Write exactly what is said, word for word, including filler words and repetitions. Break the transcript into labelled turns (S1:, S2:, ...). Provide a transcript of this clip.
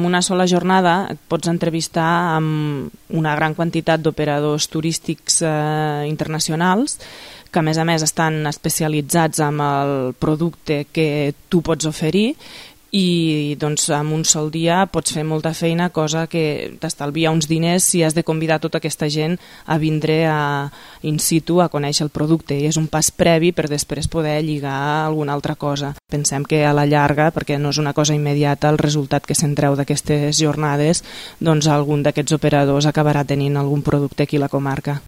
S1: en una sola jornada et pots entrevistar amb una gran quantitat d'operadors turístics eh, internacionals que a més a més estan especialitzats en el producte que tu pots oferir i doncs en un sol dia pots fer molta feina, cosa que t'estalvia uns diners si has de convidar tota aquesta gent a vindre a, in situ a conèixer el producte, i és un pas previ per després poder lligar alguna altra cosa. Pensem que a la llarga, perquè no és una cosa immediata, el resultat que se'n treu d'aquestes jornades, doncs algun d'aquests operadors acabarà tenint algun producte aquí a la comarca.